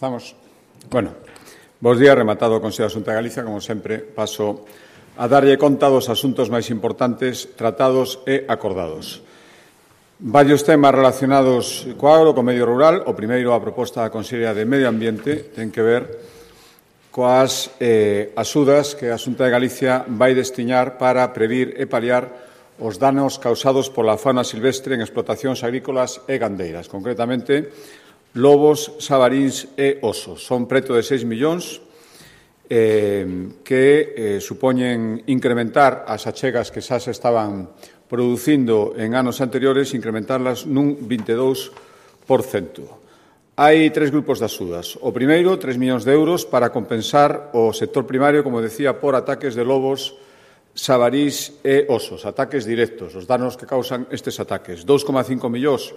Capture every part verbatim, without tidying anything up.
Comezamos. Bueno, bos días, rematado o Consello da Xunta de Galicia. Como sempre, paso a darlle conta dos asuntos máis importantes tratados e acordados. Varios temas relacionados co agro, co medio rural. O primeiro, a proposta da Consellería de Medio Ambiente, ten que ver coas eh, axudas que a Xunta de Galicia vai destinar para previr e paliar os danos causados pola fauna silvestre en explotacións agrícolas e gandeiras. Concretamente, lobos, sabaríns e osos. Son preto de seis millóns eh, que eh, supoñen incrementar as achegas que xa se estaban producindo en anos anteriores, incrementarlas nun vinte e dous por cento. Hai tres grupos de axudas. O primeiro, tres millóns de euros para compensar o sector primario, como decía, por ataques de lobos, sabarís e osos, ataques directos, os danos que causan estes ataques. dos coma cinco millóns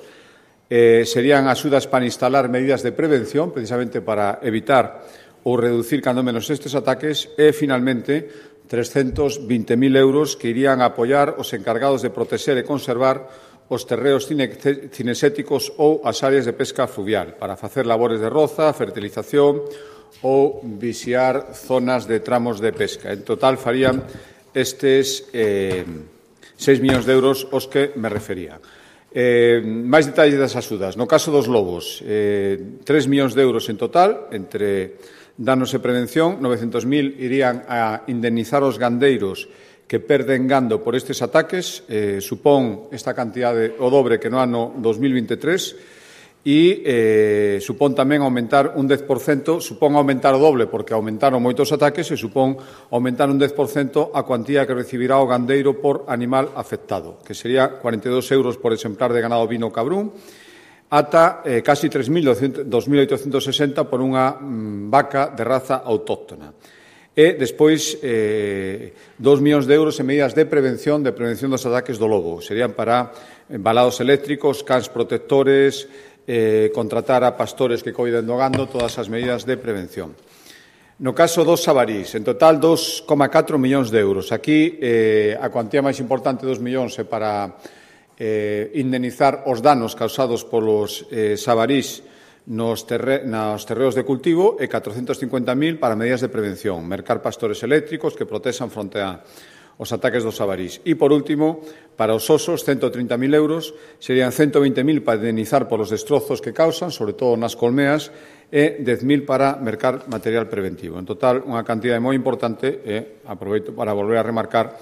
eh, serían axudas para instalar medidas de prevención, precisamente para evitar ou reducir cando menos estes ataques, e, finalmente, trescentos vinte mil euros que irían a apoiar os encargados de protexer e conservar os terreos cineséticos ou as áreas de pesca fluvial, para facer labores de roza, fertilización ou vixiar zonas de tramos de pesca. En total, farían estes eh, seis millóns de euros os que me refería. Eh, máis detalles das axudas. No caso dos lobos, eh, tres millóns de euros en total, entre danos e prevención. novecentos mil irían a indemnizar os gandeiros que perden gando por estes ataques. Eh, supón esta cantidade o dobre que no ano dos mil vinte e tres. E eh, supón tamén aumentar un dez por cento, supón aumentar o doble porque aumentaron moitos ataques e supón aumentar un dez por cento a cuantía que recibirá o gandeiro por animal afectado, que sería cuarenta e dous euros por exemplar de ganado vino cabrún, ata eh, casi tres mil oitocentos sesenta por unha mm, vaca de raza autóctona. E, despois, eh, dos millóns de euros en medidas de prevención, de prevención dos ataques do lobo. Serían para embalados eléctricos, cans protectores, Eh, contratar a pastores que coiden do gando, todas as medidas de prevención. No caso dos sabarís, en total dos coma catro millóns de euros. Aquí eh, a cuantía máis importante dos millóns é para eh, indemnizar os danos causados polos eh, sabarís nos, terre nos terreos de cultivo e catrocentos cincuenta mil para medidas de prevención, mercar pastores eléctricos que protexan fronte a os ataques dos sabarís. E, por último, para os osos, cento trinta mil euros, serían cento vinte mil para indemnizar polos destrozos que causan, sobre todo nas colmeas, e dez mil para mercar material preventivo. En total, unha cantidade moi importante, e aproveito para volver a remarcar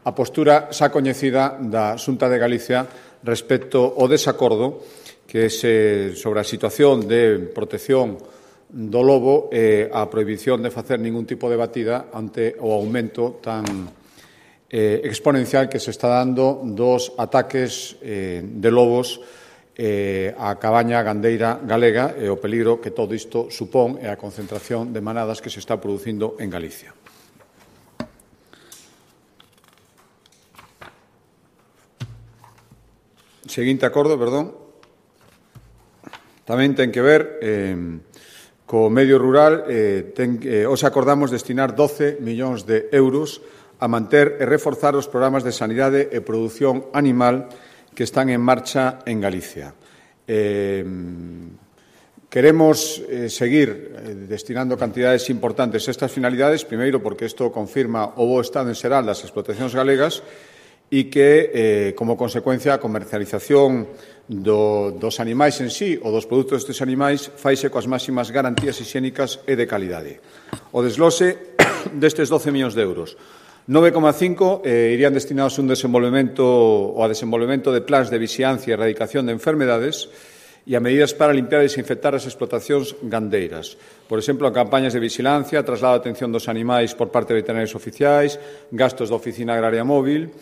a postura xa coñecida da Xunta de Galicia respecto ao desacordo que se sobre a situación de protección do lobo e a prohibición de facer ningún tipo de batida ante o aumento tan Eh, exponencial que se está dando dos ataques eh, de lobos eh, á cabaña gandeira galega e o peligro que todo isto supón e a concentración de manadas que se está producindo en Galicia. Seguinte acordo, perdón. Tamén ten que ver eh, co medio rural. Eh, ten, eh, os acordamos destinar doce millóns de euros a manter e reforzar os programas de sanidade e produción animal que están en marcha en Galicia. Eh, queremos eh, seguir eh, destinando cantidades importantes a estas finalidades, primeiro porque isto confirma o bo estado en xeral das explotacións galegas e que, eh, como consecuencia, a comercialización do, dos animais en sí ou dos produtos destes animais faise coas máximas garantías higiénicas e de calidade. O desglose destes doce millóns de euros. nove coma cinco eh, irían destinados a un desenvolvemento ou a desenvolvemento de plans de vixiancia e erradicación de enfermedades e a medidas para limpiar e desinfectar as explotacións gandeiras. Por exemplo, a campañas de vixilancia, traslado de atención dos animais por parte de veterinarios oficiais, gastos da oficina agraria móvil,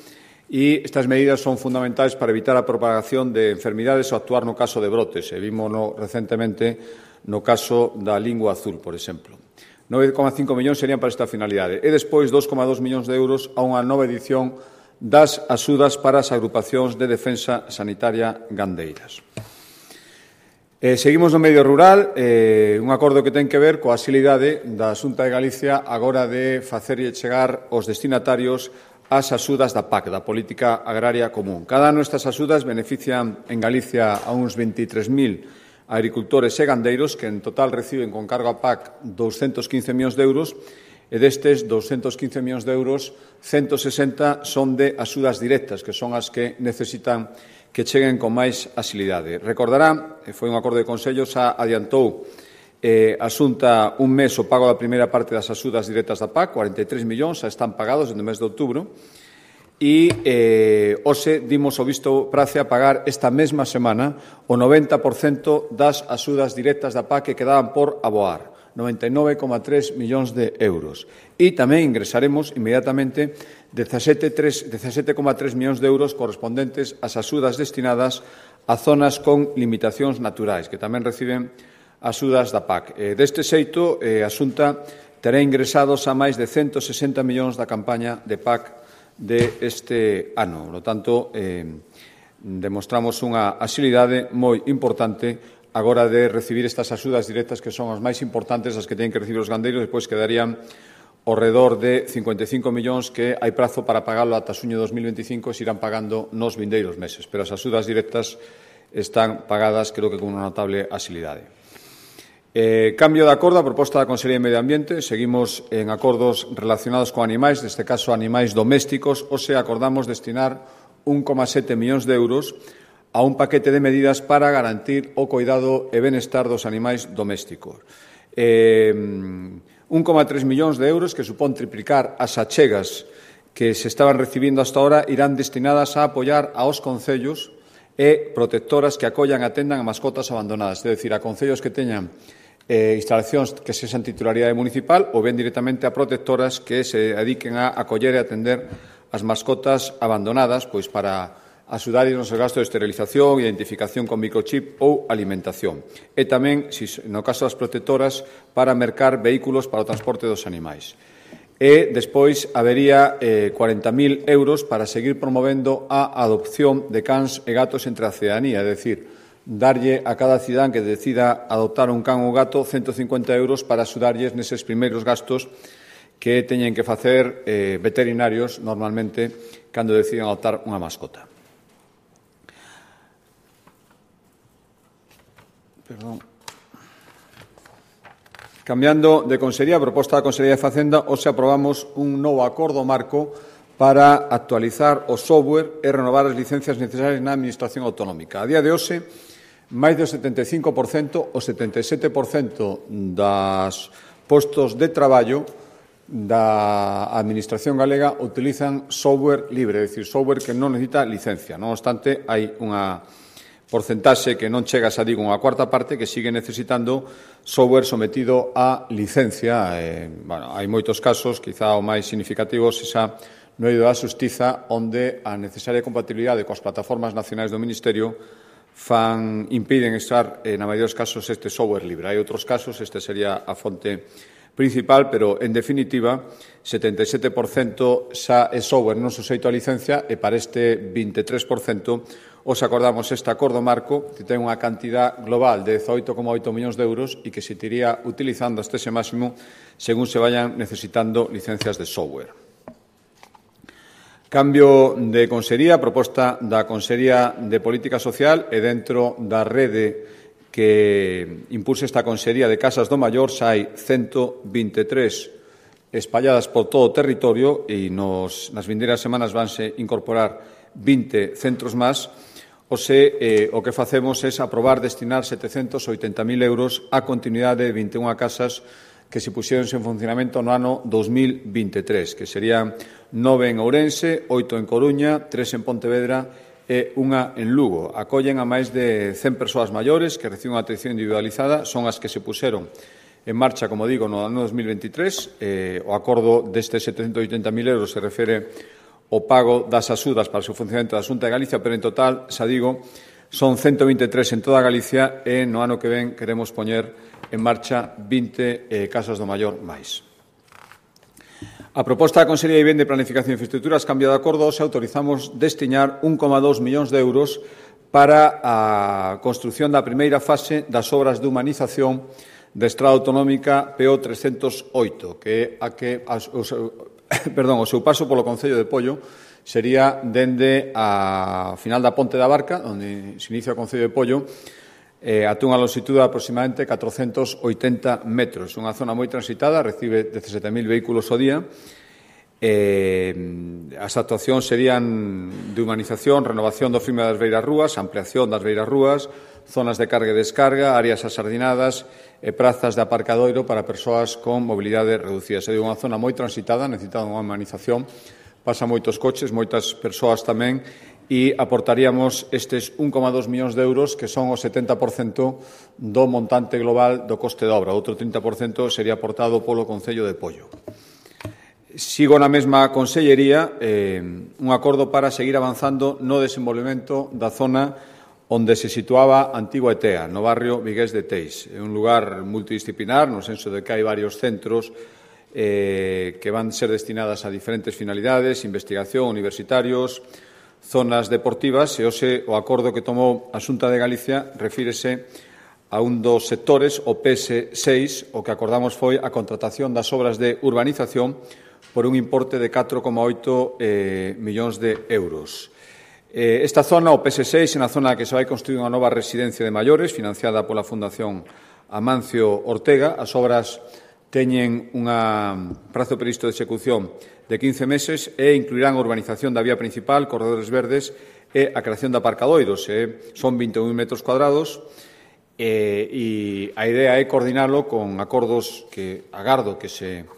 e estas medidas son fundamentais para evitar a propagación de enfermidades ou actuar no caso de brotes. E vímono recentemente no caso da lingua azul, por exemplo. nove coma cinco millóns serían para esta finalidade. E despois dos coma dous millóns de euros a unha nova edición das axudas para as agrupacións de defensa sanitaria gandeiras. Eh, seguimos no medio rural, eh, un acordo que ten que ver coa axilidade da Xunta de Galicia agora de facerlle chegar aos destinatarios as axudas da P A C, da Política Agraria Común. Cada ano estas axudas benefician en Galicia a uns veintitrés mil agricultores e gandeiros, que en total reciben con cargo a P A C doscientos quince millóns de euros, e destes doscientos quince millóns de euros, ciento sesenta son de axudas directas, que son as que necesitan que cheguen con máis axilidade. Recordará, foi un acordo de Consello, xa adiantou eh, a Xunta un mes o pago da primeira parte das axudas directas da P A C, cuarenta e tres millóns, xa están pagados no mes de outubro, e eh, hoxe dimos o visto prace a pagar esta mesma semana o noventa por cento das axudas directas da P A C que quedaban por aboar, noventa e nove coma tres millóns de euros. E tamén ingresaremos inmediatamente dezasete coma tres millóns de euros correspondentes ás axudas destinadas a zonas con limitacións naturais, que tamén reciben axudas da P A C. Eh, deste xeito, eh, a Xunta terá ingresados a máis de ciento sesenta millóns da campaña de P A C de este ano. Por lo tanto, eh, demostramos unha axilidade moi importante agora de recibir estas axudas directas que son as máis importantes, as que teñen que recibir os gandeiros, despois quedarían ao redor de cincuenta e cinco millóns que hai prazo para pagalo ata xuño de dos mil veinticinco e se irán pagando nos vindeiros meses. Pero as axudas directas están pagadas, creo que con unha notable axilidade. Eh, cambio de acordo a proposta da Consellería de Medio Ambiente. Seguimos en acordos relacionados con animais, neste caso animais domésticos, ou se acordamos destinar un coma sete millóns de euros a un paquete de medidas para garantir o coidado e benestar dos animais domésticos. Eh, un coma tres millóns de euros, que supón triplicar as achegas que se estaban recibindo hasta ahora, irán destinadas a apoiar aos concellos e protectoras que acollan e atendan a mascotas abandonadas, é dicir, a concellos que teñan eh, instalacións que sexan titularidade municipal ou ben directamente a protectoras que se dediquen a acoller e atender as mascotas abandonadas, pois para axudar nos gastos de esterilización, identificación con microchip ou alimentación. E tamén, no caso das protectoras, para mercar vehículos para o transporte dos animais. E despois habería eh, cuarenta mil euros para seguir promovendo a adopción de cans e gatos entre a cidadanía, é dicir, darlle a cada cidadán que decida adoptar un can ou gato ciento cincuenta euros para axudarlles neses primeiros gastos que teñen que facer eh, veterinarios normalmente cando deciden adoptar unha mascota. Perdón. Cambiando de consellería, a proposta da Consellería de Facenda, hoxe aprobamos un novo acordo marco para actualizar o software e renovar as licencias necesarias na Administración autonómica. A día de hoxe, máis do setenta e cinco por cento, o setenta e sete por cento das postos de traballo da Administración galega utilizan software libre, é dicir, software que non necesita licencia. Non obstante, hai unha porcentaxe que non chega, xa digo, unha cuarta parte que sigue necesitando software sometido a licencia. Eh, bueno, hai moitos casos, quizá o máis significativo xa no eido da Xustiza, onde a necesaria compatibilidade coas plataformas nacionais do Ministerio fan, impiden estar, eh, na maioría dos casos, este software libre. Hai outros casos, este sería a fonte principal, pero, en definitiva, setenta e sete por cento xa é software non suxeito a licencia e para este vinte e tres por cento os acordamos este acordo marco que ten unha cantidad global de dezaoito coma oito millóns de euros e que se iría utilizando hasta ese máximo según se vayan necesitando licencias de software. Cambio de consellería, proposta da Consellería de Política Social e dentro da rede que impulsa esta Consellería de Casas do Maior xa hai ciento vinte e tres espalladas por todo o territorio e nos, nas vindeiras semanas vanse incorporar vinte centros máis. O se, eh, o que facemos é aprobar destinar setecentos oitenta mil euros á continuidade de vinte e unha casas que se puxeronse en funcionamento no ano dos mil vinte e tres, que serían nove en Ourense, oito en Coruña, tres en Pontevedra e unha en Lugo. Acollen a máis de cen persoas maiores que reciben unha atención individualizada, son as que se puxeron en marcha, como digo, no ano dos mil veintitrés. Eh, o acordo destes setecentos oitenta mil euros se refere o pago das axudas para o seu funcionamento da Xunta de Galicia, pero en total, xa digo, son ciento vinte e tres en toda Galicia e no ano que ven queremos poñer en marcha vinte eh, casas do maior máis. A proposta da Consellería de Vivenda e Planificación de Infraestructuras cambia de acordo, se autorizamos destinar un coma dos millóns de euros para a construción da primeira fase das obras de humanización da Estrada Autonómica P O trescentos oito, que é a que a, os, perdón, o seu paso polo Concello de Pollo sería dende a final da Ponte da Barca, onde se inicia o Concello de Pollo, eh, ata unha longitude de aproximadamente catrocentos oitenta metros. Unha zona moi transitada, recibe dezasete mil vehículos ao día. Eh, as actuacións serían de humanización, renovación do firme das beiras rúas, ampliación das beiras rúas, zonas de carga e descarga, áreas asardinadas e prazas de aparcadoiro para persoas con mobilidade reducida. É unha zona moi transitada, necesitada unha humanización, pasa moitos coches, moitas persoas tamén, e aportaríamos estes un coma dos millóns de euros, que son o setenta por cento do montante global do coste de obra. Outro trinta por cento sería aportado polo Concello de Pollo. Sigo na mesma consellería, eh, un acordo para seguir avanzando no desenvolvemento da zona onde se situaba a antigua E T E A, no barrio Vigués de Teis. É un lugar multidisciplinar, no senso de que hai varios centros eh, que van ser destinadas a diferentes finalidades, investigación, universitarios, zonas deportivas, e hoxe o acordo que tomou a Xunta de Galicia refírese a un dos sectores, o P S seis, o que acordamos foi a contratación das obras de urbanización por un importe de catro coma oito eh, millóns de euros. Eh, esta zona, o P S seis, é unha zona que se vai construir unha nova residencia de maiores financiada pola Fundación Amancio Ortega. As obras teñen un prazo previsto de execución de quince meses e incluirán a urbanización da vía principal, corredores verdes e a creación de aparcadoiros. Eh, son vinte e un metros cuadrados eh, e a idea é coordinalo con acordos que agardo que se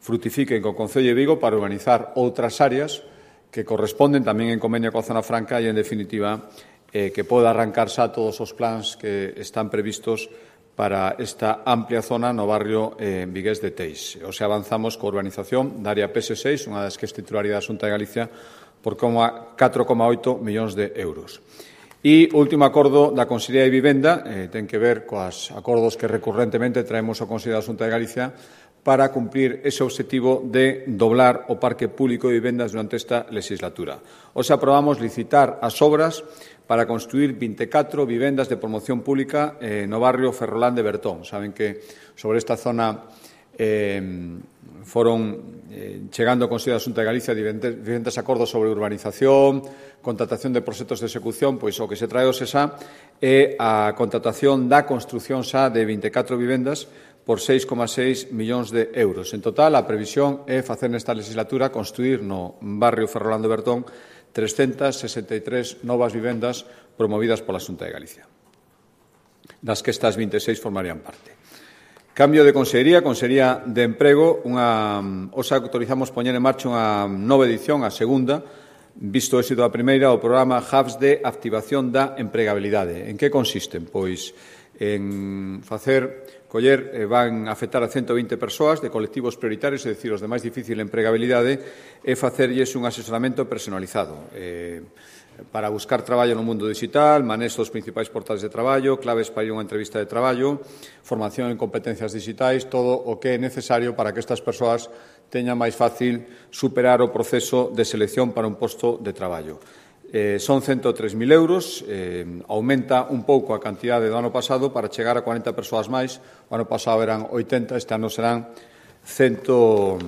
frutifiquen co Concello de Vigo para urbanizar outras áreas que corresponden tamén en convenio coa Zona Franca e, en definitiva, eh, que poda arrancarse a todos os plans que están previstos para esta amplia zona no barrio eh, Vigués de Teis. O sea, avanzamos coa urbanización da área P S seis, unha das que é titularidade da Xunta de Galicia, por catro coma oito millóns de euros. E o último acordo da Consellería de Vivenda eh, ten que ver coas acordos que recurrentemente traemos ao Consello da Xunta de Galicia para cumprir ese obxectivo de doblar o parque público de vivendas durante esta legislatura. Hoxe aprobamos licitar as obras para construir vinte e catro vivendas de promoción pública eh, no barrio Ferrolán de Bertón. Saben que sobre esta zona eh, foron eh, chegando ao Consello da Xunta de Galicia diferentes, diferentes acordos sobre urbanización, contratación de proxectos de execución, pois o que se trae hoxe xa é a contratación da construción xa de vinte e catro vivendas por seis coma seis millóns de euros. En total, a previsión é facer nesta legislatura construir no barrio Ferrolán de Bertón trescentas sesenta e tres novas vivendas promovidas pola Xunta de Galicia, das que estas vinte e seis formarían parte. Cambio de consellería, Consellería de Emprego, unha, os autorizamos poñer en marcha unha nova edición, a segunda, visto o éxito da primeira, o programa Hubs de Activación da Empregabilidade. En que consisten? Pois en facer, coller, eh, van afectar a ciento vinte persoas de colectivos prioritarios, é dicir, os de máis difícil empregabilidade, e facerlles un asesoramento personalizado eh, para buscar traballo no mundo digital, manexo dos principais portais de traballo, claves para ir a unha entrevista de traballo, formación en competencias digitais, todo o que é necesario para que estas persoas teñan máis fácil superar o proceso de selección para un posto de traballo. Eh, son ciento tres mil euros, eh, aumenta un pouco a cantidade do ano pasado para chegar a cuarenta persoas máis. O ano pasado eran oitenta, este ano serán ciento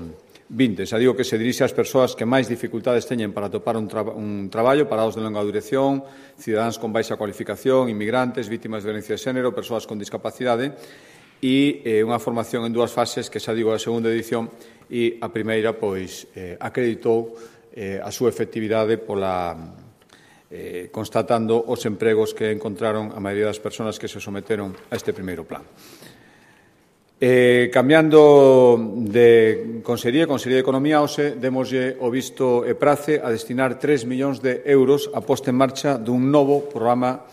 vinte. Xa digo que se dirixe ás persoas que máis dificultades teñen para topar un, tra un traballo, parados de longa duración, cidadáns con baixa cualificación, inmigrantes, vítimas de violencia de xénero, persoas con discapacidade, e eh, unha formación en dúas fases, que xa digo a segunda edición, e a primeira, pois, eh, acreditou eh, a súa efectividade pola Eh, constatando os empregos que encontraron a maioría das persoas que se someteron a este primeiro plan. Eh, cambiando de Consellería, Consellería de Economía, hoxe demoslle o visto e prace a destinar tres millóns de euros a posta en marcha dun novo programa,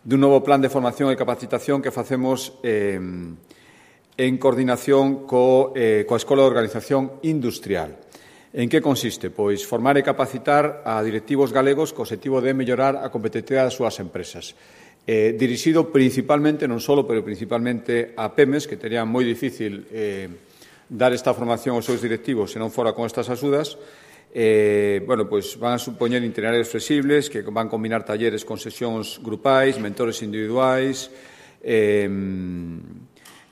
dun novo plan de formación e capacitación que facemos eh, en coordinación co, eh, coa Escola de Organización Industrial. En que consiste? Pois formar e capacitar a directivos galegos co objetivo de mellorar a competitividade das súas empresas. Eh, dirixido principalmente, non só, pero principalmente a PEMES, que terían moi difícil eh, dar esta formación aos seus directivos se non fora con estas axudas. Eh, bueno, pois van a supoñer itinerarios flexibles que van combinar talleres con sesións grupais, mentores individuais, eh,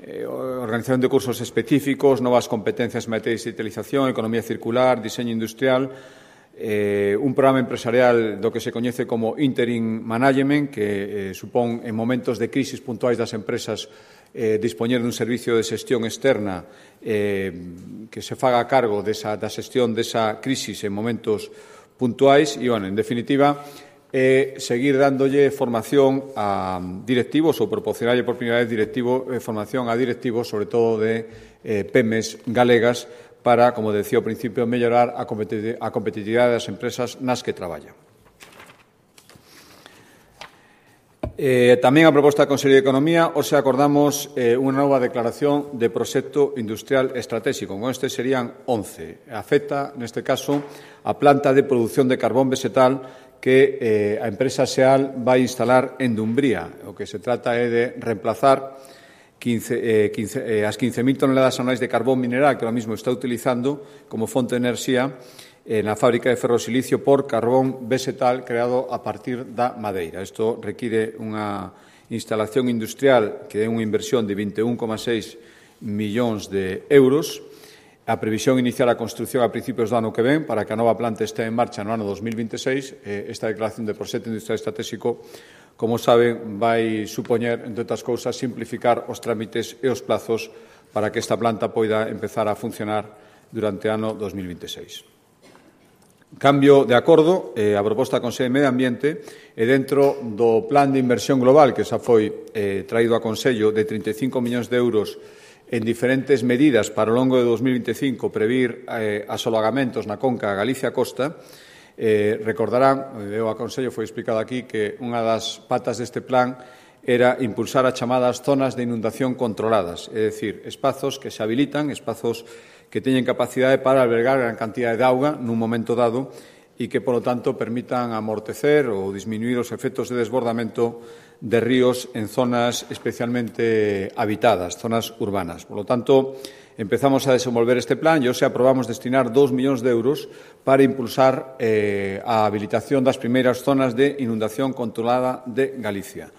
Eh, organización de cursos específicos, novas competencias en materia de digitalización, economía circular, diseño industrial, eh, un programa empresarial do que se coñece como Interim Management, que eh, supón en momentos de crisis puntuais das empresas eh, dispoñer dun servicio de xestión externa eh, que se faga a cargo desa, da xestión desa crisis en momentos puntuais e, bueno, en definitiva, eh, seguir dándolle formación a directivos ou proporcionarlle por primeira vez directivo, eh, formación a directivos, sobre todo de eh, pymes galegas, para, como decía ao principio, mellorar a competitividade das empresas nas que traballan. Eh, tamén a proposta da Consellería de Economía, hoxe acordamos eh, unha nova declaración de proxecto industrial estratégico. Con este serían once. Afecta, neste caso, a planta de produción de carbón vegetal que eh, a empresa SEAL vai instalar en Dumbría. O que se trata é de reemplazar quince, eh, quince, eh, as quince mil toneladas anuais de carbón mineral que ahora mismo está utilizando como fonte de enerxía eh, na fábrica de ferrosilicio por carbón vegetal creado a partir da madeira. Isto require unha instalación industrial que é unha inversión de vinte e un coma seis millóns de euros. A previsión iniciar a construción a principios do ano que ven para que a nova planta este en marcha no ano dos mil veintiséis. Eh, esta declaración de proxecto industrial estratégico, como saben, vai supoñer, entre outras cousas, simplificar os trámites e os plazos para que esta planta poida empezar a funcionar durante o ano dos mil veintiséis. Cambio de acordo, eh, a proposta da Consello de Medio Ambiente e dentro do plan de inversión global que xa foi eh, traído a Consello de trinta e cinco millóns de euros en diferentes medidas para o longo de dos mil veinticinco previr eh, asolagamentos na conca Galicia-Costa. Eh, recordarán, o aconsello foi explicado aquí, que unha das patas deste plan era impulsar as chamadas zonas de inundación controladas, é dicir, espazos que se habilitan, espazos que teñen capacidade para albergar gran cantidade de auga nun momento dado e que, polo tanto, permitan amortecer ou disminuir os efectos de desbordamento de ríos en zonas especialmente habitadas, zonas urbanas. Por lo tanto, empezamos a desenvolver este plan e hoxe aprobamos destinar dous millóns de euros para impulsar eh, a habilitación das primeiras zonas de inundación controlada de Galicia.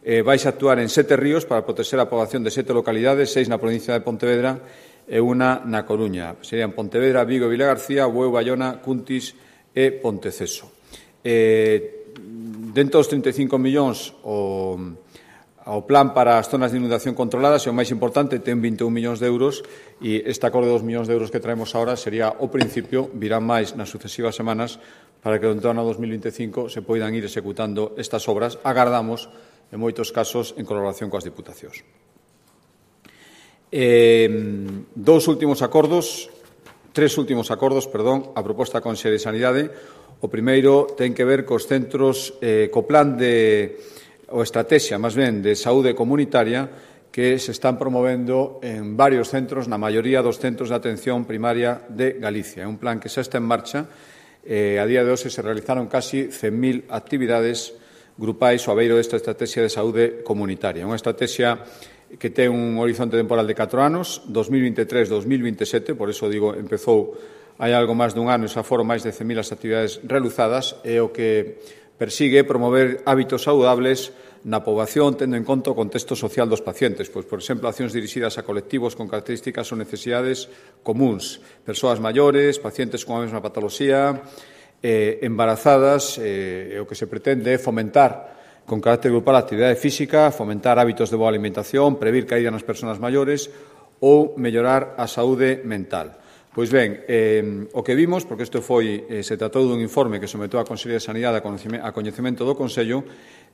Eh, vais a actuar en sete ríos para proteger a poboación de sete localidades, seis na provincia de Pontevedra e unha na Coruña. Serían Pontevedra, Vigo, Vilagarcía, Bueu, Bayona, Cuntis e Ponteceso. Eh, dentro dos trinta e cinco millóns, o, o plan para as zonas de inundación controladas é o máis importante, ten vinte e un millóns de euros e este acordo de dos millóns de euros que traemos agora sería o principio, virán máis nas sucesivas semanas para que durante o ano dos mil veinticinco se poidan ir executando estas obras. Agardamos, en moitos casos, en colaboración coas diputacións. Eh, dous últimos acordos, tres últimos acordos, perdón, a proposta da Consellería de Sanidade. O primeiro ten que ver cos centros, eh, co plan de, ou estrategia, máis ben, de saúde comunitaria que se están promovendo en varios centros, na maioría dos centros de atención primaria de Galicia. É un plan que xa está en marcha. Eh, a día de hoxe se realizaron casi cen mil actividades grupais ao abeiro desta estrategia de saúde comunitaria. Unha estrategia que ten un horizonte temporal de catro anos, dos mil veintitrés a dos mil veintisiete, por eso digo, empezou hai algo máis dun ano e xa foron máis de cen mil as actividades realizadas, e o que persigue promover hábitos saludables na poboación, tendo en conta o contexto social dos pacientes, pois, por exemplo, accións dirixidas a colectivos con características ou necesidades comuns, persoas maiores, pacientes con a mesma patoloxía, eh, embarazadas, eh, o que se pretende é fomentar con carácter grupal a actividade física, fomentar hábitos de boa alimentación, previr caída nas persoas maiores ou mellorar a saúde mental. Pois ben, eh, o que vimos, porque isto foi, eh, se tratou dun informe que sometou a Consellería de Sanidade a coñecemento do Consello,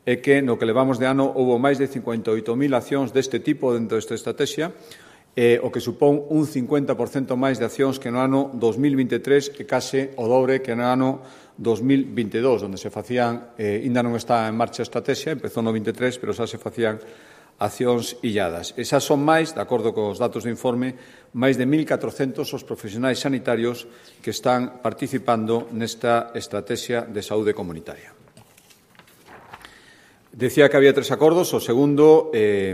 é que no que levamos de ano houve máis de cincuenta e oito mil accións deste tipo dentro desta estrategia, eh, o que supón un cincuenta por cento máis de accións que no ano dos mil veintitrés e case o dobre que no ano dos mil veintidós, onde se facían, eh, ainda non está en marcha a estrategia, empezou no veintitrés, pero xa se facían accións illadas. E xa son máis, de acordo cos datos do informe, máis de mil catrocentos os profesionais sanitarios que están participando nesta estrategia de saúde comunitaria. Decía que había tres acordos. O segundo eh,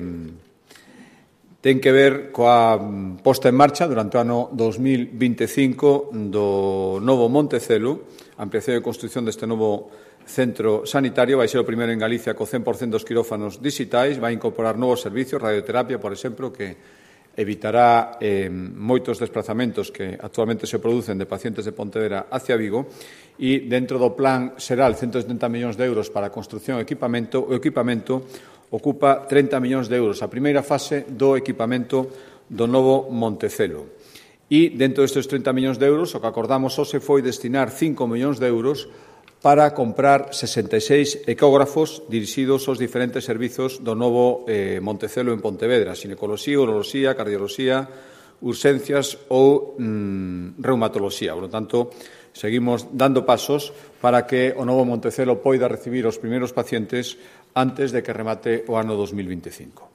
ten que ver coa posta en marcha durante o ano dos mil veinticinco do novo Montecelo, ampliación e construción deste novo centro sanitario. Vai ser o primeiro en Galicia co cen por cento dos quirófanos digitais, vai incorporar novos servicios, radioterapia, por exemplo, que evitará eh, moitos desplazamentos que actualmente se producen de pacientes de Pontevedra hacia Vigo e dentro do plan xeral ciento setenta millóns de euros para a construción e equipamento, o equipamento ocupa trinta millóns de euros, a primeira fase do equipamento do novo Montecelo. E dentro destes trinta millóns de euros o que acordamos hoxe foi destinar cinco millóns de euros para comprar sesenta e seis ecógrafos dirixidos aos diferentes servizos do novo eh, Montecelo en Pontevedra, xinecoloxía, uroloxía, cardioloxía, urxencias ou mm, reumatoloxía. Por lo tanto, seguimos dando pasos para que o novo Montecelo poida recibir os primeiros pacientes antes de que remate o ano dos mil veinticinco.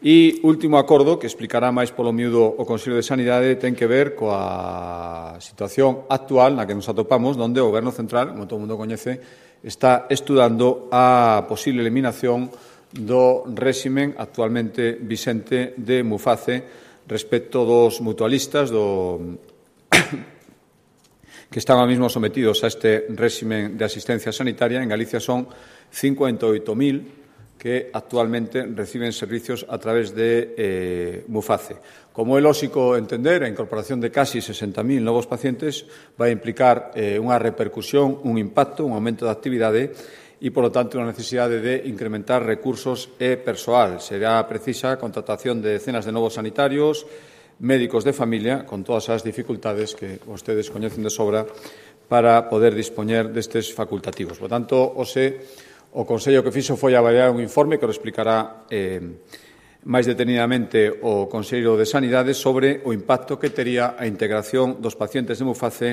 E último acordo, que explicará máis polo miúdo o Consello de Sanidade, ten que ver coa situación actual na que nos atopamos, onde o Goberno Central, como todo o mundo coñece, está estudando a posible eliminación do réximen actualmente vixente de Muface respecto dos mutualistas do que están ahora mismo sometidos a este réximen de asistencia sanitaria. En Galicia son cincuenta e oito mil que actualmente reciben servicios a través de eh, Muface. Como é lóxico entender, a incorporación de casi sesenta mil novos pacientes vai implicar eh, unha repercusión, un impacto, un aumento de actividade e, por lo tanto, unha necesidade de incrementar recursos e persoal. Será precisa a contratación de decenas de novos sanitarios, médicos de familia, con todas as dificultades que vostedes coñecen de sobra para poder dispoñer destes facultativos. Por tanto, hoxe, o Consello que fixo foi avaliar un informe que o explicará eh, máis detenidamente o Consello de Sanidade sobre o impacto que tería a integración dos pacientes de Muface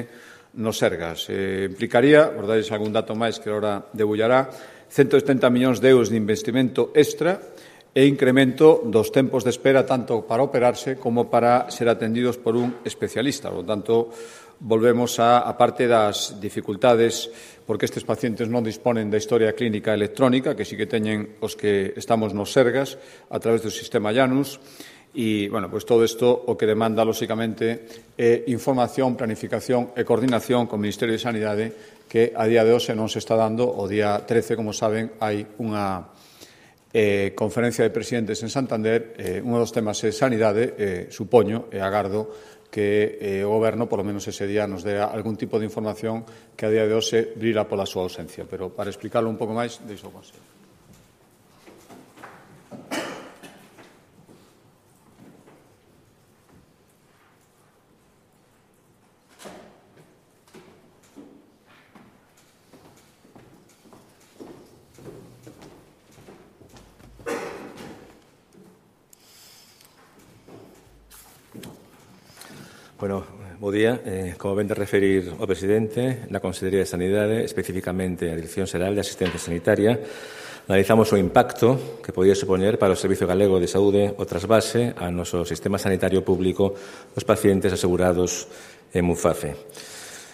nos Sergas. Eh, implicaría, por darles algún dato máis que ahora debullará, ciento setenta millóns de euros de investimento extra e incremento dos tempos de espera tanto para operarse como para ser atendidos por un especialista. Por lo tanto, volvemos a, a parte das dificultades porque estes pacientes non disponen da historia clínica electrónica, que sí que teñen os que estamos nos Sergas a través do sistema Janus. E, bueno, pues todo isto o que demanda, lóxicamente, é información, planificación e coordinación co Ministerio de Sanidade que a día de hoxe non se está dando. O día trece, como saben, hai unha eh, conferencia de presidentes en Santander. Eh, un dos temas é sanidade, eh, supoño e agardo que eh, o Goberno, polo menos ese día, nos dé algún tipo de información que a día de hoxe brila pola súa ausencia. Pero para explicarlo un pouco máis, deixo o Consello. Bueno, bo día. Eh, como ven de referir o presidente, na Consellería de Sanidade, especificamente a Dirección Xeral de Asistencia Sanitaria, analizamos o impacto que podía supoñer para o Servicio Galego de Saúde o trasvase ao noso sistema sanitario público dos pacientes asegurados en Muface.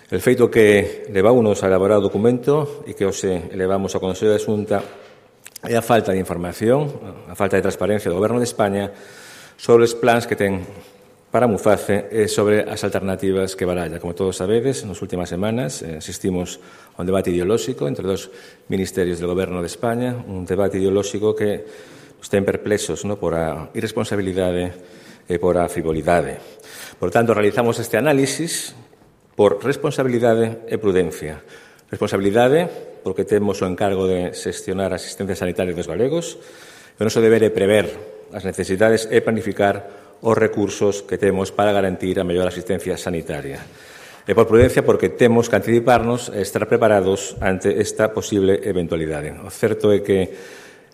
El feito que levounos a elaborar o documento e que hoxe elevamos ao Consello de Xunta é a falta de información, a falta de transparencia do Goberno de España sobre os plans que ten para Muface e sobre as alternativas que baralla. Como todos sabedes, nas últimas semanas eh, asistimos a un debate ideolóxico entre dos ministerios do Goberno de España, un debate ideolóxico que nos ten perplexos, no, por a irresponsabilidade e por a frivolidade. Por tanto, realizamos este análisis por responsabilidade e prudencia. Responsabilidade porque temos o encargo de xestionar a asistencia sanitaria dos galegos e o noso deber é prever as necesidades e planificar os recursos que temos para garantir a mellor asistencia sanitaria. E por prudencia porque temos que anticiparnos e estar preparados ante esta posible eventualidade. O certo é que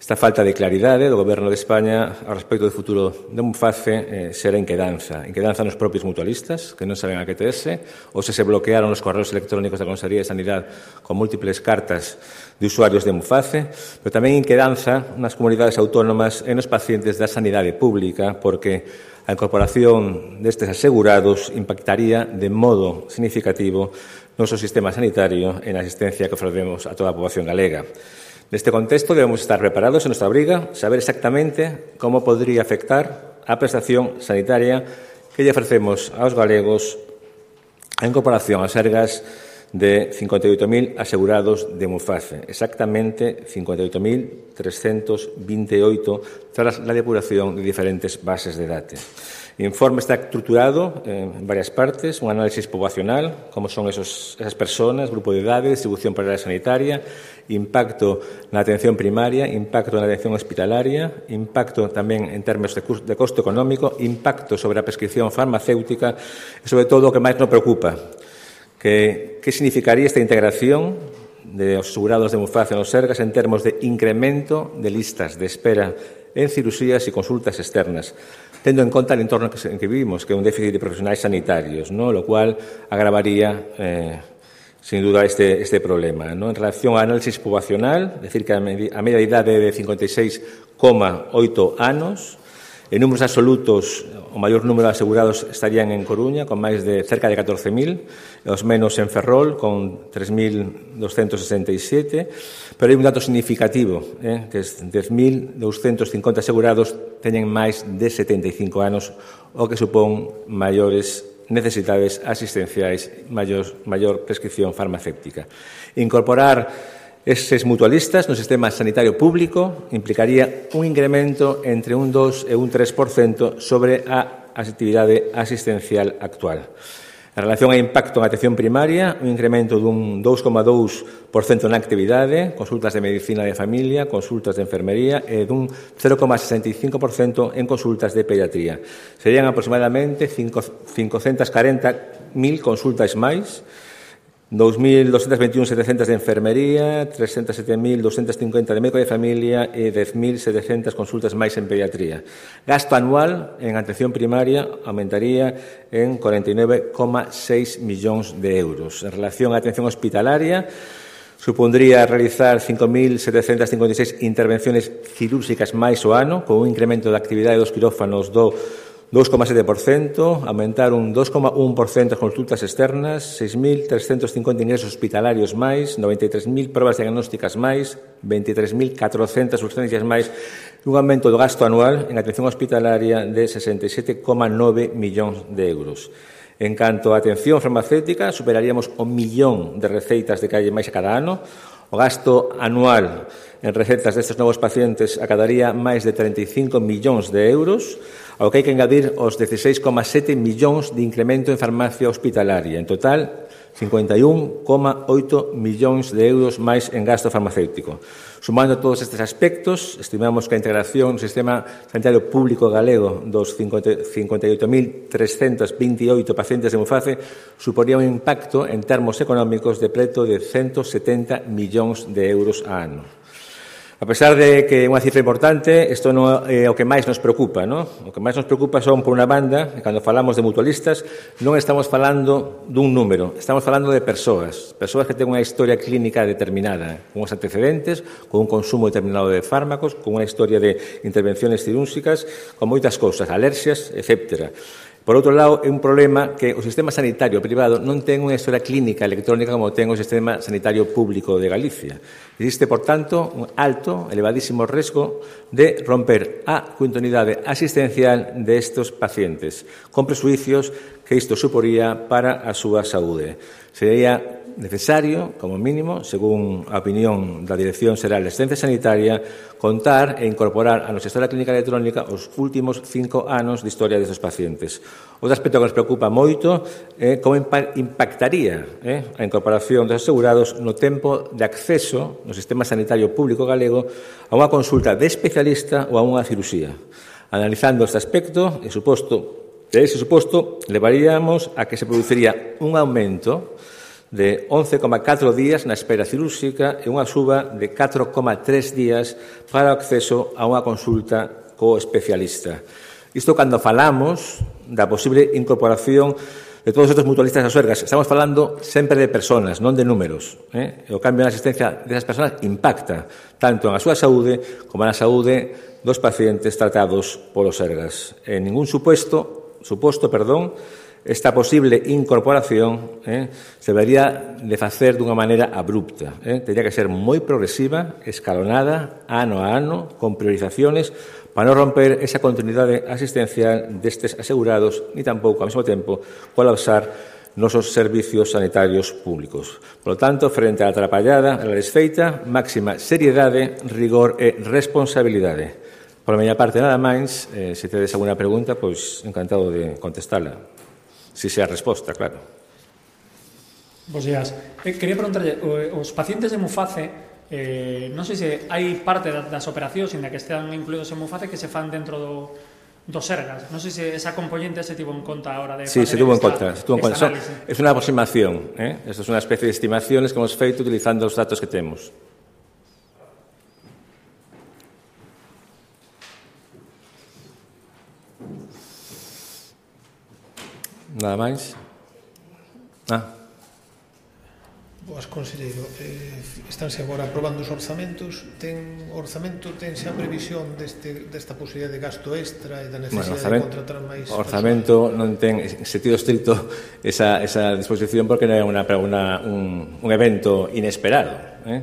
esta falta de claridade do Goberno de España ao respecto do futuro de Muface eh, será inquedanza. Inquedanza nos propios mutualistas, que non saben a que terse, ou se se bloquearon os correos electrónicos da Consellería de Sanidade con múltiples cartas de usuarios de Muface, pero tamén inquedanza nas comunidades autónomas e nos pacientes da sanidade pública, porque a incorporación destes asegurados impactaría de modo significativo no noso sistema sanitario e na asistencia que ofrecemos a toda a poboación galega. Neste contexto, debemos estar preparados en nosa obriga, saber exactamente como podría afectar a prestación sanitaria que lle ofrecemos aos galegos a incorporación ás Sergas de cincuenta y ocho mil asegurados de Muface, exactamente cincuenta y ocho mil trescientos veintiocho tras la depuración de diferentes bases de datos. El informe está estructurado en varias partes, un análisis poblacional, cómo son esos, esas personas, grupo de edades, distribución por área sanitaria, impacto en la atención primaria, impacto en la atención hospitalaria, impacto también en términos de, de costo económico, impacto sobre la prescripción farmacéutica y, sobre todo, lo que más nos preocupa, que, qué significaría esta integración de los asegurados de Muface en los Sergas en términos de incremento de listas de espera en cirugías y consultas externas, teniendo en cuenta el entorno en que vivimos, que es un déficit de profesionales sanitarios, ¿no? Lo cual agravaría, eh, sin duda, este, este problema, ¿no? En relación al análisis poblacional, es decir, que a, med a media idade de cincuenta y seis coma ocho anos, en números absolutos, o maior número de asegurados estarían en Coruña, con máis de cerca de catorce mil, os menos en Ferrol, con tres mil doscientos sesenta y siete, pero hai un dato significativo, eh, que es dez mil doscientos cincuenta asegurados teñen máis de setenta y cinco anos, o que supón maiores necesidades asistenciais, maior, maior prescripción farmacéutica. Incorporar eses mutualistas no sistema sanitario público implicaría un incremento entre un dos e un tres por cento sobre a actividade asistencial actual. En relación ao impacto en atención primaria, un incremento dun dous coma dous por cento na actividade, consultas de medicina de familia, consultas de enfermería e dun cero coma sesenta y cinco por cento en consultas de pediatría. Serían aproximadamente cincocentos cuarenta mil consultas máis, dos mil doscientos veintiún mil setecientos de enfermería, trescientos sete mil doscientos cincuenta de médico de familia e dez mil setecientas consultas máis en pediatría. Gasto anual en atención primaria aumentaría en cuarenta y nueve coma seis millóns de euros. En relación á atención hospitalaria, supondría realizar cinco mil setecientos cincuenta y seis intervenciones cirúrgicas máis o ano, con un incremento da actividade dos quirófanos do dos coma sete por cento, aumentar un dos coma un por cento as consultas externas, seis mil trescientos cincuenta ingresos hospitalarios máis, noventa y tres mil probas diagnósticas máis, veintitrés mil catrocentas urgencias máis, e un aumento do gasto anual en atención hospitalaria de sesenta y siete coma nove millóns de euros. En canto á atención farmacéutica, superaríamos o millón de receitas de calle máis a cada ano. O gasto anual en recetas destes novos pacientes acadaría máis de treinta y cinco millóns de euros, ao que hai que engadir os dieciséis coma sete millóns de incremento en farmacia hospitalaria. En total, cincuenta y un coma ocho millóns de euros máis en gasto farmacéutico. Sumando todos estes aspectos, estimamos que a integración no sistema sanitario público galego dos cincuenta y ocho mil trescientos veintiocho pacientes de Muface suponía un impacto en termos económicos de preto de ciento setenta millóns de euros a ano. A pesar de que é unha cifra importante, isto non é o que máis nos preocupa, non? O que máis nos preocupa son, por unha banda, que cando falamos de mutualistas, non estamos falando dun número, estamos falando de persoas, persoas que ten unha historia clínica determinada, con os antecedentes, con un consumo determinado de fármacos, con unha historia de intervenciones cirúrgicas, con moitas cousas, alerxias, etcétera. Por outro lado, é un problema que o sistema sanitario privado non ten unha historia clínica electrónica como ten o sistema sanitario público de Galicia. Existe, por tanto, un alto, elevadísimo risco de romper a continuidade asistencial destes pacientes, con presuicios que isto suporía para a súa saúde. Sería necesario, como mínimo, según a opinión da Dirección Xeral de Asistencia Sanitaria, contar e incorporar a nosa historia clínica electrónica os últimos cinco anos de historia destes pacientes. Outro aspecto que nos preocupa moito é como impactaría eh, a incorporación dos asegurados no tempo de acceso no sistema sanitario público galego a unha consulta de especialista ou a unha cirurxía. Analizando este aspecto, e suposto, de ese suposto, levaríamos a que se produciría un aumento de once coma catro días na espera cirúrxica e unha suba de catro coma tres días para o acceso a unha consulta co especialista. Isto cando falamos da posible incorporación de todos estes mutualistas ás Sergas. Estamos falando sempre de personas, non de números. Eh? E o cambio na asistencia desas persoas impacta tanto na súa saúde como na saúde dos pacientes tratados polos Sergas. En ningún suposto, suposto, perdón, esta posible incorporación eh, se debería de facer dunha maneira abrupta. Eh? Tería que ser moi progresiva, escalonada, ano a ano, con priorizaciones, para non romper esa continuidade asistencial destes asegurados, ni tampouco, ao mesmo tempo, colapsar nosos servicios sanitarios públicos. Por lo tanto, frente á atrapallada, a la desfeita, máxima seriedade, rigor e responsabilidade. Por a miña parte, nada máis, eh, se tedes alguna pregunta, pois encantado de contestala. Si sea a resposta, claro. Bos días. Eh, quería preguntarlle, os pacientes de Muface, eh, non sei se hai parte das operacións en que están incluídos en Muface que se fan dentro do dos Sergas. Non sei se esa componente se tivo en conta a hora de sí, facer se tuvo esta, en conta. Se tuvo en conta. Es unha aproximación. ¿eh? Esto es unha especie de estimaciones que hemos feito utilizando os datos que temos. Nada máis? Ah. Boas, conselleiro. Eh, estánse agora aprobando os orzamentos. Ten orzamento, ten xa previsión deste, desta posibilidade de gasto extra e da necesidade bueno, de contratar máis... O orzamento non ten, en sentido estricto, esa, esa disposición porque non é una, una, un, un evento inesperado. Eh?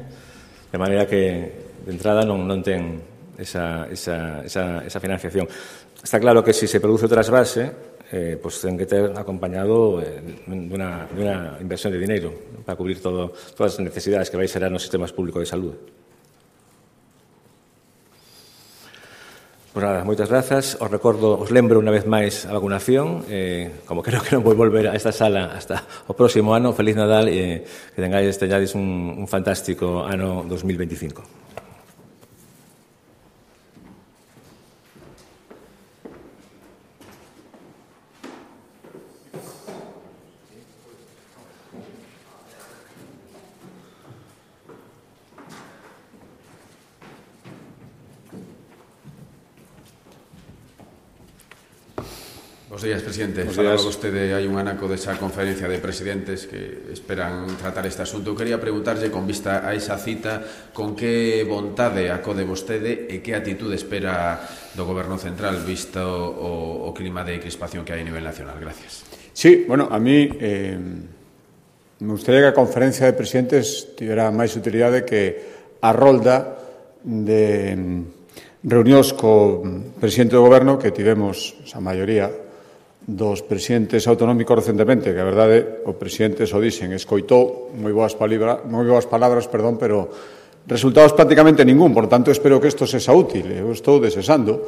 De maneira que, de entrada, non, non ten esa, esa, esa, esa financiación. Está claro que se si se produce o trasvase, Eh, pues ten que ter acompañado eh, dunha, dunha inversión de dinero para cubrir todo, todas as necesidades que vai xerar nos sistemas públicos de salud. Pues nada, moitas grazas. Os recordo, os lembro unha vez máis a vacunación. Eh, como creo que non vou volver a esta sala hasta o próximo ano, feliz Nadal e eh, que tengáis, teñades un, un fantástico ano dos mil veinticinco. Bos días, presidente. Bos Falaba días. vostede hai un anaco desa conferencia de presidentes que esperan tratar este asunto. Eu quería preguntarlle, con vista a esa cita, con que vontade acode vostede e que atitude espera do Goberno Central visto o, o clima de crispación que hai a nivel nacional. Gracias. Sí, bueno, a mí eh, me gustaría que a conferencia de presidentes tivera máis utilidade que a rolda de reunións co presidente do Goberno que tivemos, a maioría, dos presidentes autonómicos recentemente, que a verdade o presidente só dixen, escoitou moi boas palabras, moi boas palabras, perdón, pero resultados prácticamente ningún, por tanto espero que isto sexa útil. Eu estou desexando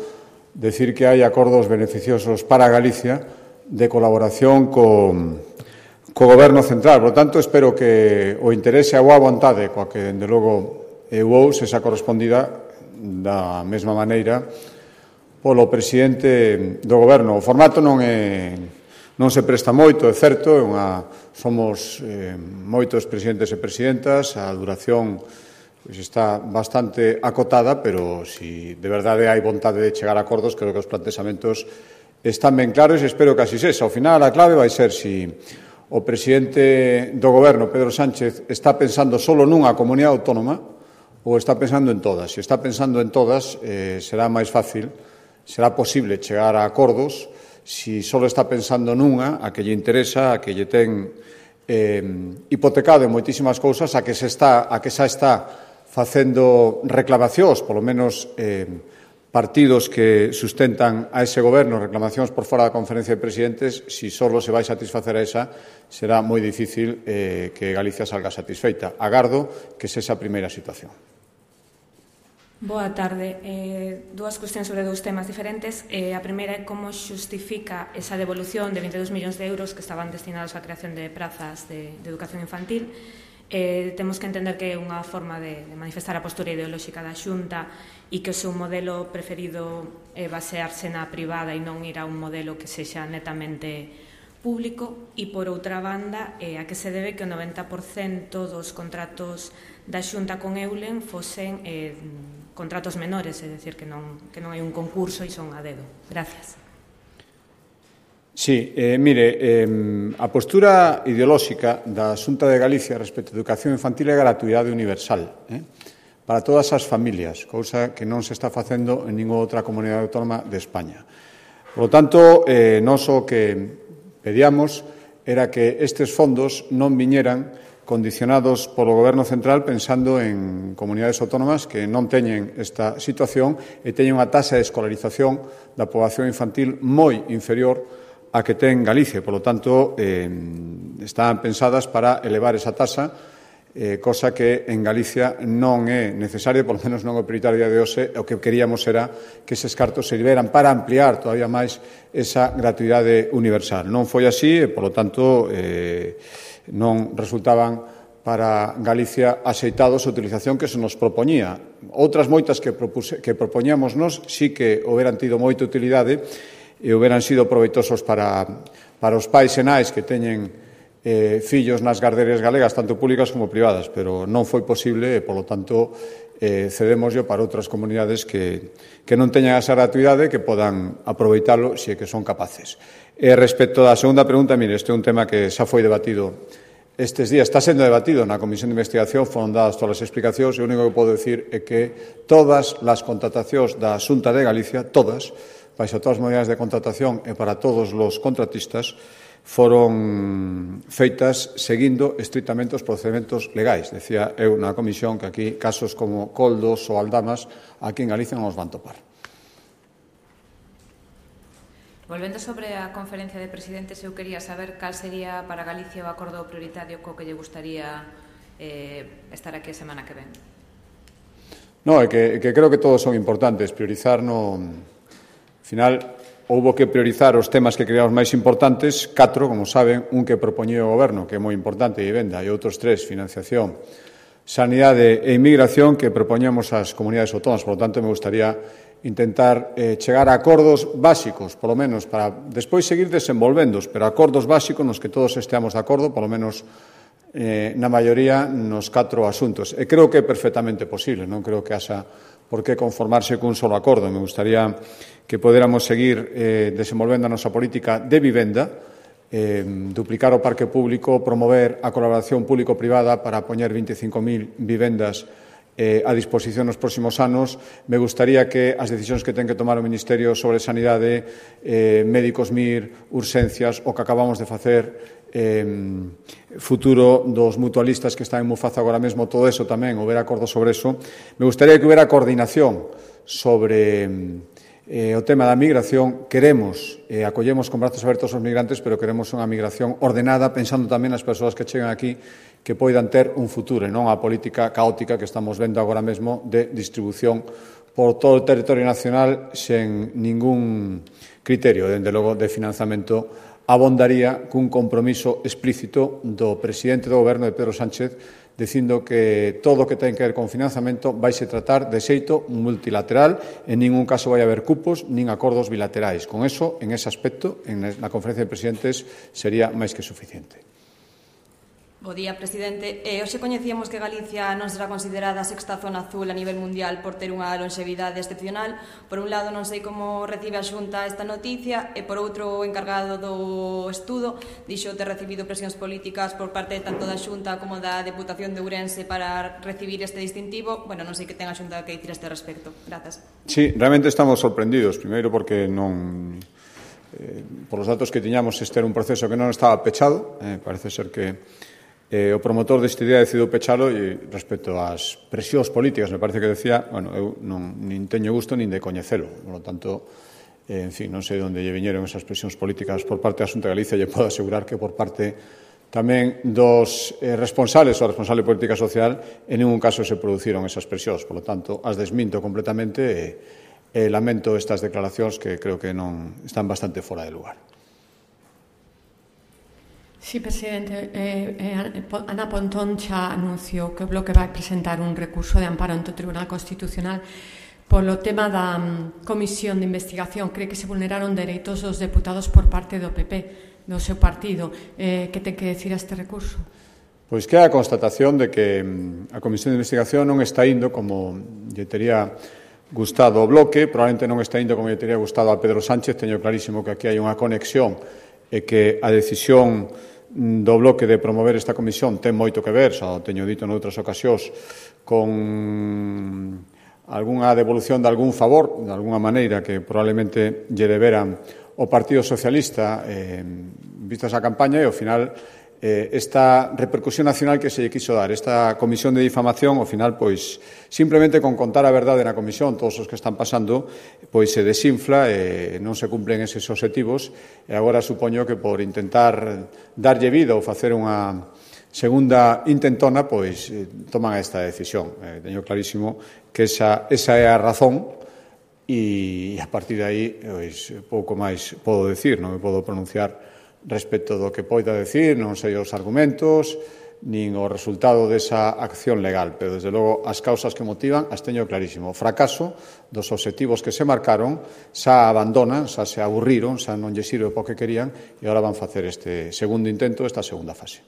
decir que hai acordos beneficiosos para Galicia de colaboración co, co Goberno Central, por tanto espero que o interese a boa vontade coa que, dende logo, eu ou sexa correspondida da mesma maneira polo presidente do Goberno. O formato non é non se presta moito, é certo, é unha, somos eh, moitos presidentes e presidentas, a duración pois, está bastante acotada, pero si de verdade hai vontade de chegar a acordos, creo que os plantexamentos están ben claros e espero que así sexa. Ao final, a clave vai ser si o presidente do Goberno, Pedro Sánchez, está pensando solo nunha comunidade autónoma ou está pensando en todas. Se está pensando en todas, eh, será máis fácil, será posible chegar a acordos. Si só está pensando nunha, a que lle interesa, a que lle ten eh, hipotecado en moitísimas cousas, a que se está, a que xa está facendo reclamacións, polo menos eh, partidos que sustentan a ese goberno, reclamacións por fora da conferencia de presidentes, si só se vai satisfacer a esa, será moi difícil eh, que Galicia salga satisfeita. Agardo que sexa a primeira situación. Boa tarde. Eh, dúas cuestións sobre dous temas diferentes. Eh, a primeira é como xustifica esa devolución de veintidós millóns de euros que estaban destinados á creación de prazas de, de educación infantil. Eh, temos que entender que é unha forma de, de manifestar a postura ideolóxica da Xunta e que o seu modelo preferido é basearse na privada e non ir a un modelo que sexa netamente público. E, por outra banda, eh, a que se debe que o noventa por cento dos contratos da Xunta con Eulen fosen eh, contratos menores, é dicir, que non, que non hai un concurso e son a dedo. Gracias. Sí, eh, mire, eh, a postura ideolóxica da Xunta de Galicia respecto á educación infantil é gratuidade universal, eh, para todas as familias, cousa que non se está facendo en ninguna outra comunidade autónoma de España. Por lo tanto, eh, nós o que pedíamos era que estes fondos non viñeran condicionados polo Goberno Central pensando en comunidades autónomas que non teñen esta situación e teñen unha taxa de escolarización da poboación infantil moi inferior a que ten Galicia. Por lo tanto, eh, están pensadas para elevar esa tasa, eh, cosa que en Galicia non é necesaria, por lo menos non é prioritaria de hoxe. O que queríamos era que eses cartos serviran para ampliar todavía máis esa gratuidade universal. Non foi así e, por lo tanto, eh, non resultaban para Galicia axeitados a utilización que se nos propoñía. Outras moitas que, propuse, que propoñamos nos sí que houberan tido moita utilidade e houberan sido proveitosos para, para os pais e nais que teñen eh, fillos nas garderías galegas, tanto públicas como privadas, pero non foi posible e, polo tanto, eh, cedémoslo para outras comunidades que, que non teñan esa gratuidade que podan aproveitalo se é que son capaces. E respecto da segunda pregunta, mire, este é un tema que xa foi debatido estes días, está sendo debatido na Comisión de Investigación, foron dadas todas as explicacións, e o único que podo dicir é que todas as contratacións da Xunta de Galicia, todas, baixo todas as modalidades de contratación e para todos os contratistas, foron feitas seguindo estrictamente os procedementos legais. Decía eu na comisión que aquí casos como Coldos ou Aldamas aquí en Galicia non os van topar. Volvendo sobre a conferencia de presidentes, eu quería saber cal sería para Galicia o acordo prioritario co que lle gustaría eh, estar aquí a semana que ven. No, é que, que creo que todos son importantes. Priorizar no... Al final, houbo que priorizar os temas que creamos máis importantes, catro, como saben, un que propoñía o Goberno, que é moi importante, vivenda, e outros tres, financiación, sanidade e inmigración, que propoñamos ás comunidades autónomas. Por lo tanto, me gustaría intentar eh, chegar a acordos básicos, polo menos, para despois seguir desenvolvendos, pero acordos básicos nos que todos esteamos de acordo, polo menos eh, na maioría nos catro asuntos. E creo que é perfectamente posible, non creo que haxa por que conformarse cun solo acordo. Me gustaría que podéramos seguir eh, desenvolvendo a nosa política de vivenda, eh, duplicar o parque público, promover a colaboración público-privada para poñer vinte e cinco mil vivendas eh, a disposición nos próximos anos. Me gustaría que as decisións que ten que tomar o Ministerio sobre sanidade, eh, médicos M I R, urxencias, o que acabamos de facer, eh, futuro dos mutualistas que están en Mufaza agora mesmo, todo eso tamén, houbera acordo sobre eso. Me gustaría que houbera coordinación sobre eh, o tema da migración. Queremos, eh, acollemos con brazos abertos os migrantes, pero queremos unha migración ordenada, pensando tamén nas persoas que chegan aquí, que poidan ter un futuro e non a política caótica que estamos vendo agora mesmo de distribución por todo o territorio nacional sen ningún criterio, dende logo, de financiamento. Abondaría cun compromiso explícito do presidente do Goberno, de Pedro Sánchez, dicindo que todo o que ten que ver con financiamento vaise tratar de xeito multilateral, en ningún caso vai haber cupos nin acordos bilaterais. Con eso, en ese aspecto, en na conferencia de presidentes, sería máis que suficiente. Bo día, presidente. Eh, hoxe coñecíamos que Galicia non será considerada a sexta zona azul a nivel mundial por ter unha longevidade excepcional. Por un lado, non sei como recibe a Xunta esta noticia, e por outro, o encargado do estudo dixo ter recibido presións políticas por parte tanto da Xunta como da Deputación de Ourense para recibir este distintivo. Bueno, non sei que ten a Xunta que dicir a este respecto. Grazas. Sí, realmente estamos sorprendidos. Primeiro porque non... Eh, por os datos que tiñamos, este era un proceso que non estaba pechado. Eh, parece ser que Eh, o promotor deste día decidiu pechalo, e respecto ás presións políticas, me parece que decía, bueno, eu non nin teño gusto nin de coñecelo, por lo tanto, eh, en fin, non sei onde lle viñeron esas presións políticas por parte da Xunta de Galicia. Lle podo asegurar que por parte tamén dos eh, responsables ou responsable de política social, en ningún caso se produciron esas presións, por lo tanto, as desminto completamente e, e lamento estas declaracións que creo que non están bastante fora de lugar. Sí, presidente. Eh, eh, Ana Pontón xa anunciou que o Bloque vai presentar un recurso de amparo ante o Tribunal Constitucional polo tema da um, comisión de investigación. Cree que se vulneraron dereitos dos deputados por parte do P P, do seu partido. Eh, que ten que decir a este recurso? Pois que é a constatación de que um, a comisión de investigación non está indo como lle tería gustado o Bloque, probablemente non está indo como lle tería gustado a Pedro Sánchez. Teño clarísimo que aquí hai unha conexión e que a decisión do Bloque de promover esta comisión ten moito que ver, xa o teño dito noutras ocasións, con algunha devolución de algún favor, de alguna maneira, que probablemente lle deberan o Partido Socialista, eh, vistas a campaña, e ao final eh, esta repercusión nacional que se lle quiso dar. Esta comisión de difamación, ao final, pois, simplemente con contar a verdade na comisión, todos os que están pasando, pois se desinfla e non se cumplen eses obxectivos, e agora supoño que por intentar darlle vida ou facer unha segunda intentona, pois eh, toman esta decisión. Eh, teño clarísimo que esa, esa é a razón, e a partir de aí, pois, pouco máis podo decir, non me podo pronunciar respecto do que poida decir, non sei os argumentos, nin o resultado desa acción legal, pero, desde logo, as causas que motivan as teño clarísimo. O fracaso dos obxectivos que se marcaron, xa abandonan, xa se aburriron, xa non lle sirve o que querían, e agora van facer este segundo intento, esta segunda fase.